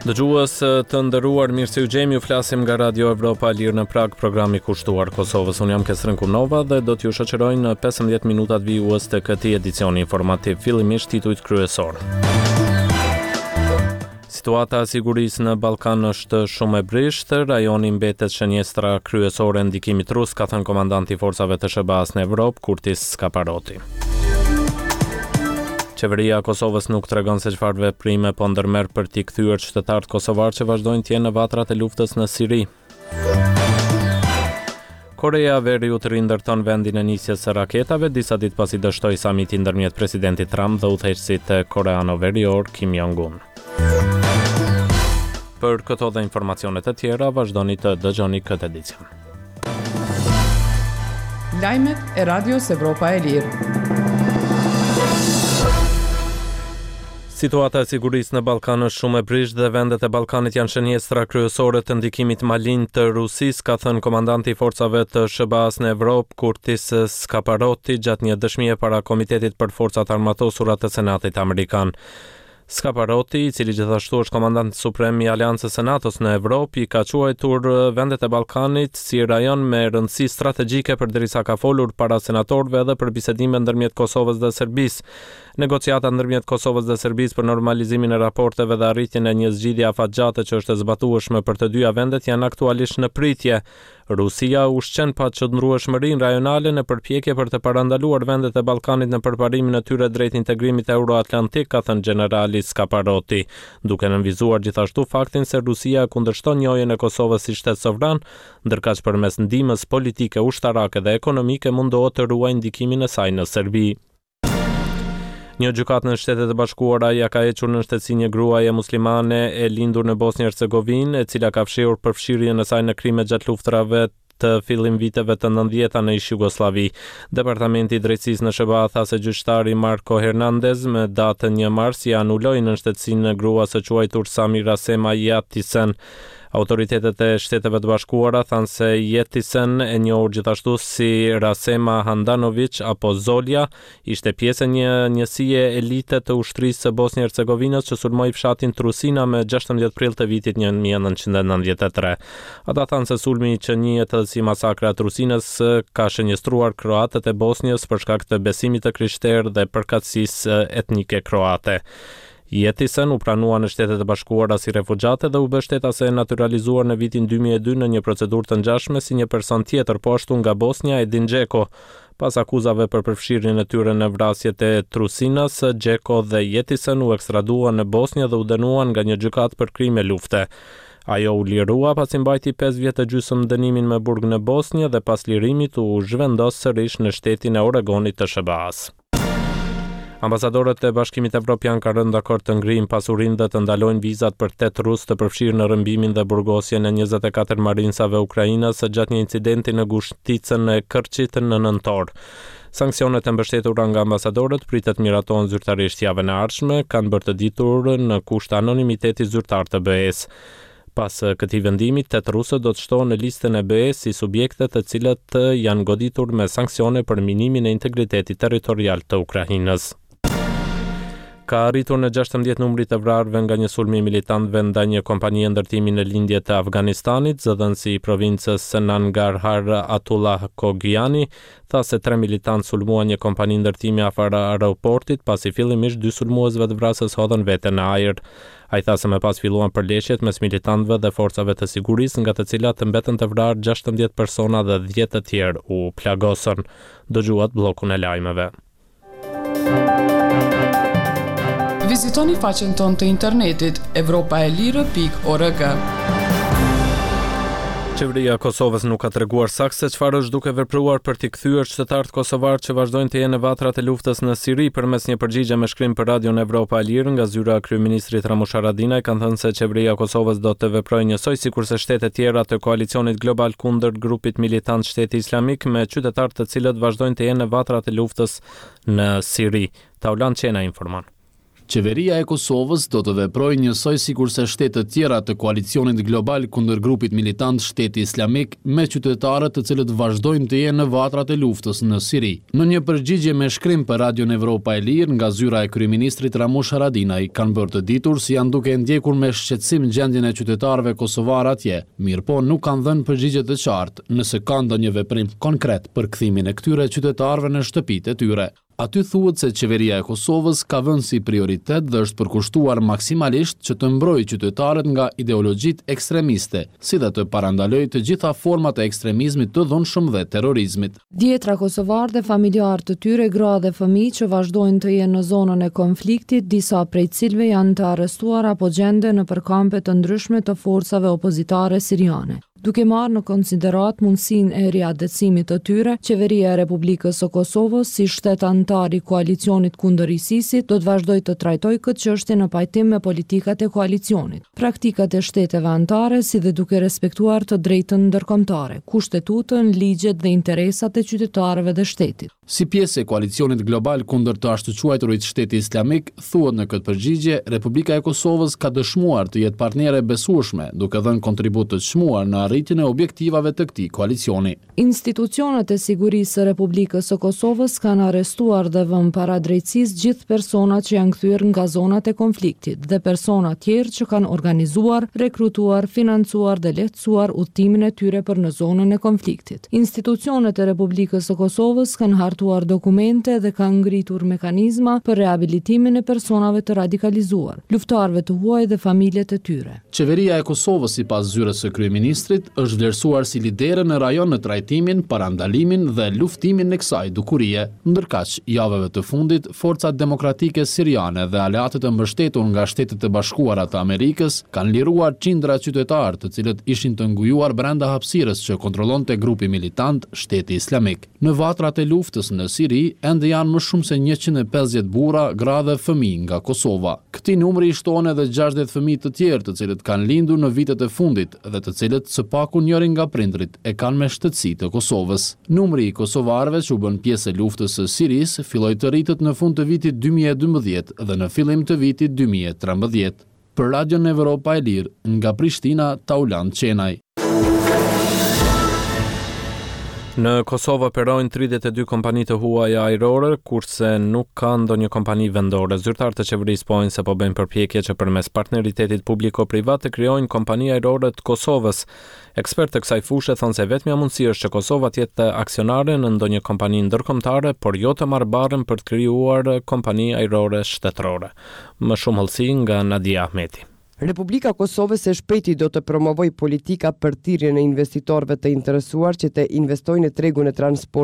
Dëgjues të nderuar, mirë se ju gjejmë, ju flasim nga Radio Evropa e Lirë në Pragë, programi kushtuar Kosovës. Unë jam Kesrin Kumnova dhe do t'ju shoqëroj në 15 minutat vijues të këtij edicioni informativ. Fillimisht titujt kryesorë. Situata e sigurisë në Ballkan është shumë e brishtë, rajoni mbetet shënjestra kryesore e ndikimit rus, ka thënë komandanti i forcave të SHBA-së në Evropë, Curtis Scaparrotti. Qeveria e Kosovës nuk tregon se çfarë veprime po ndërmerr për t'i kthyer qytetarët kosovarë që vazhdojnë të jenë në vatrat e luftës në Siri. Koreja e Veriut rindërton vendin e nisjes së raketave disa ditë pasi dështoi samiti ndërmjet presidentit Trump dhe udhëheqësit koreano-verior Kim Jong-un. Për këto dhe informacione të tjera, vazhdoni të dëgjoni këtë edicion. Lajmet e Radios Evropa e Lirë. Situata e sigurisë në Ballkan është shumë e brishtë dhe vendet e Ballkanit janë shënjestra kryesore të ndikimit malinj të Rusisë, ka thënë komandanti i forcave të SHBA-së në Evropë, Curtis Scaparrotti, gjatë një dëshmie para Komitetit për Forcat e Armatosura të Senatit Amerikan. Scaparrotti, i cili gjithashtu është komandant suprem i Aleancës së NATO-s në Evropë, i ka quajtur vendet e Ballkanit si rajon me rëndësi strategjike përderisa ka folur para senatorëve edhe për bisedimet ndërmjet Kosovës dhe Serbisë. Negociatat ndërmjet Kosovës dhe Serbisë për normalizimin e raporteve dhe arritjen e një zgjidhje afatgjate që është e zbatueshme për të dyja vendet janë aktualisht në pritje. Rusia ushqen paqëndrueshmërinë rajonale në përpjekje për të parandaluar vendet e Ballkanit në përparimin e tyre drejt integrimit euroatlantik, ka thënë gjenerali Scaparrotti, duke nënvizuar gjithashtu faktin se Rusia e kundërshton njohjen e Kosovës si shtet sovran, ndërkaq përmes ndihmës politike, ushtarake dhe ekonomike mundohet të ruajë ndikimin e saj në Serbi. Një gjykatë në Shtetet e Bashkuara ia ka hequr nënshtetësinë një gruaje muslimane e lindur në Bosnjë Hercegovinë, e cila ka fshehur përfshirjen e saj në krime gjatë luftërave të fillim viteve të nëntëdhjeta në ish-Jugosllavi. Departamenti i Drejtësisë në SHBA tha se gjyqtari Marco Hernandez më datë një mars ia anuloi nënshtetësinë gruas së quajtur Samira Sema Yetisen. Autoritetet e Shteteve të Bashkuara thanë se Yetisen, e njohur gjithashtu si Rasema Handanovic apo Zolja, ishte pjesë e një njësie elite të ushtrisë së Bosnjë-Hercegovinës që sulmoi fshatin Trusina më 16 prill të vitit 1993. Ata thanë se sulmi që njihet edhe si masakra e Trusinës ka shënjestruar kroatët e Bosnjës për shkak të besimit të krishterë dhe përkatësisë etnike kroate. Yetisen u pranua në Shtetet e Bashkuara si refugjate dhe u bë shtetase e natyralizuar në vitin 2002 në një procedurë të ngjashme si një person tjetër, po ashtu nga Bosnja, Edin Dzeko. Pas akuzave për përfshirjen e tyre në vrasjet e Trusinas, Dzeko dhe Yetisen u ekstraduan në Bosnjë dhe u dënuan nga një gjykatë për krime lufte. Ajo u lirua pasi mbajti pesë vjet e gjysmë dënimin me burg në Bosnjë dhe pas lirimit u zhvendos sërish në shtetin e Oregonit të SHBA-së. Ambasadorët e Bashkimit Evropian kanë rënë dakord të ngrijnë pasurinë dhe të ndalojnë vizat për tetë rusë të përfshirë në rrëmbimin dhe burgosjen e 24 marinsave ukrainas gjatë një incidenti në ngushticën e Kërçit në nëntor. Sanksionet e mbështetura nga ambasadorët pritet miratohen zyrtarisht javën e ardhshme, kanë bërë të ditur në kushte anonimiteti zyrtarë të BE-së. Pas këtij vendimi, tetë rusët do të shtohen në listën e BE-së si subjekte të cilët janë goditur me sanksione për minimin e integritetit territorial të Ukrainës. Ka arritur në 16 numri i të vrarëve nga një sulm i militantëve ndaj një kompanie ndërtimi në lindje të Afganistanit, zëdhënësi i provincës së Nangarhar Atullah Khogyani tha se tre militantë sulmuan një kompani ndërtimi afër aeroportit, pasi fillimisht dy sulmues vetëvrasës hodhën veten në ajër. Ai tha se më pas filluan përleshjet mes militantëve dhe forcave të sigurisë, nga të cilat mbetën të vrarë 16 persona dhe 10 të tjerë u plagosën. Dëgjuat bllokun e lajmeve. Vizitoni faqen tonë të internetit evropaelire.org. Qeveria e Kosovës nuk ka treguar saktë se çfarë është duke vepruar për t'i kthyer qytetarët kosovarë që vazhdojnë të jenë në vatrat e luftës në Siri përmes një përgjigje me shkrim për Radion Evropa e Lirë nga zyra e kryeministrit Ramush Haradinaj kanë thënë se qeveria e Kosovës do të veprojë njësoj sikurse shtetet tjera të koalicionit global kundër grupit militant Shteti Islamik me qytetarë të cilët vazhdojnë të jenë në vatrat e luftës në Siri. Taulant Qena informon. Qeveria e Kosovës do të veprojë njësoj sikurse shtetet tjera të koalicionit global kundër grupit militant Shteti Islamik me qytetarët të cilët vazhdojnë të jenë në vatrat e luftës në Siri. Në një përgjigje me shkrim për Radion Evropa e Lirë nga zyra e kryeministrit Ramush Haradinaj kanë bërë të ditur se janë duke e ndjekur me shqetësim gjendjen e qytetarëve kosovarë atje, mirëpo nuk kanë dhënë përgjigje të qartë nëse ka ndonjë veprim konkret për kthimin e këtyre qytetarëve në shtëpitë e tyre. Aty thuhet se Qeveria e Kosovës ka vënë si prioritet dhe është përkushtuar maksimalisht që të mbrojë qytetarët nga ideologjitë ekstremiste, si dhe të parandalojë të gjitha format e ekstremizmit të dhunshëm dhe terrorizmit. Dhjetra kosovarë dhe familjarë të tyre, gra dhe fëmijë që vazhdojnë të jenë në zonën e konfliktit, disa prej të cilëve janë të arrestuar apo gjenden nëpër kampe të ndryshme të forcave opozitare siriane. Duke marrë në konsideratë mundësinë e riatdhesimit të tyre, Qeveria e Republikës së Kosovës, si shtet anëtar i koalicionit kundër ISIS-it, do të vazhdojë të trajtojë këtë çështje në pajtim me politikat e koalicionit, praktikat e shteteve anëtare, si dhe duke respektuar të drejtën ndërkombëtare, Kushtetutën, ligjet dhe interesat e qytetarëve dhe shtetit. Si pjesë e koalicionit global kundër të ashtuquajturit Shteti Islamik, thuhet në këtë përgjigje, Republika e Kosovës ka dëshmuar të jetë partnere e besueshme, duke dhënë kontribut të çmuar në arritjen e objektivave të këtij koalicioni. Institucionet e sigurisë së Republikës së Kosovës kanë arrestuar dhe vënë para drejtësisë gjithë personat që janë kthyer nga zonat e konfliktit dhe persona tjerë që kanë organizuar, rekrutuar, financuar dhe lehtësuar udhëtimin e tyre për në zonën e konfliktit. Institucionet e Republikës së Kosovës kanë hartuar dokumente dhe kanë ngritur mekanizma për rehabilitimin e personave të radikalizuar, luftëtarëve të huaj dhe familjet e tyre. Qeveria e Kosovës, sipas zyrës së kryeministrit, është vlerësuar si lidere në rajon në trajtimin, parandalimin dhe luftimin e kësaj dukurie. Ndërkaq, javëve të fundit, Forcat Demokratike Siriane dhe aleatët e mbështetur nga Shtetet e Bashkuara të Amerikës kanë liruar qindra qytetarë të cilët ishin të ngujuar brenda hapësirës që kontrollonte grupi militant Shteti Islamik. Në vatrat e luftës në Siri ende janë më shumë se 150 burra, gra dhe fëmijë nga Kosova. Këtij numri i shtohen edhe 60 fëmijë të tjerë të cilët kanë lindur në vitet e fundit dhe të cilët së paku njërin nga prindërit e kanë me shtetësi të Kosovës. Numri i kosovarëve që u bënë pjesë e luftës së Sirisë filloi të rritet në fund të vitit 2012 dhe në fillim të vitit 2013. Për Radion Evropa e Lirë, nga Prishtina, Taulant Qenaj. Në Kosovë operojnë 32 kompani të huaja ajrore, kurse nuk ka ndonjë kompani vendore. Zyrtarë të qeverisë pohojnë se po bëjnë përpjekje që përmes partneritetit publiko-privat të krijojnë kompani ajrore të Kosovës. Ekspertë të kësaj fushe thonë se e vetmja mundësi është që Kosova të jetë aksionare në ndonjë kompani ndërkombëtare, por jo të marrë barrën për të krijuar kompani ajrore shtetërore. Më shumë hollësi nga Nadia Ahmeti. Republika e Kosovës së shpejti do të promovojë politika për thirrjen e investitorëve të interesuar që të investojnë në tregun e transportit.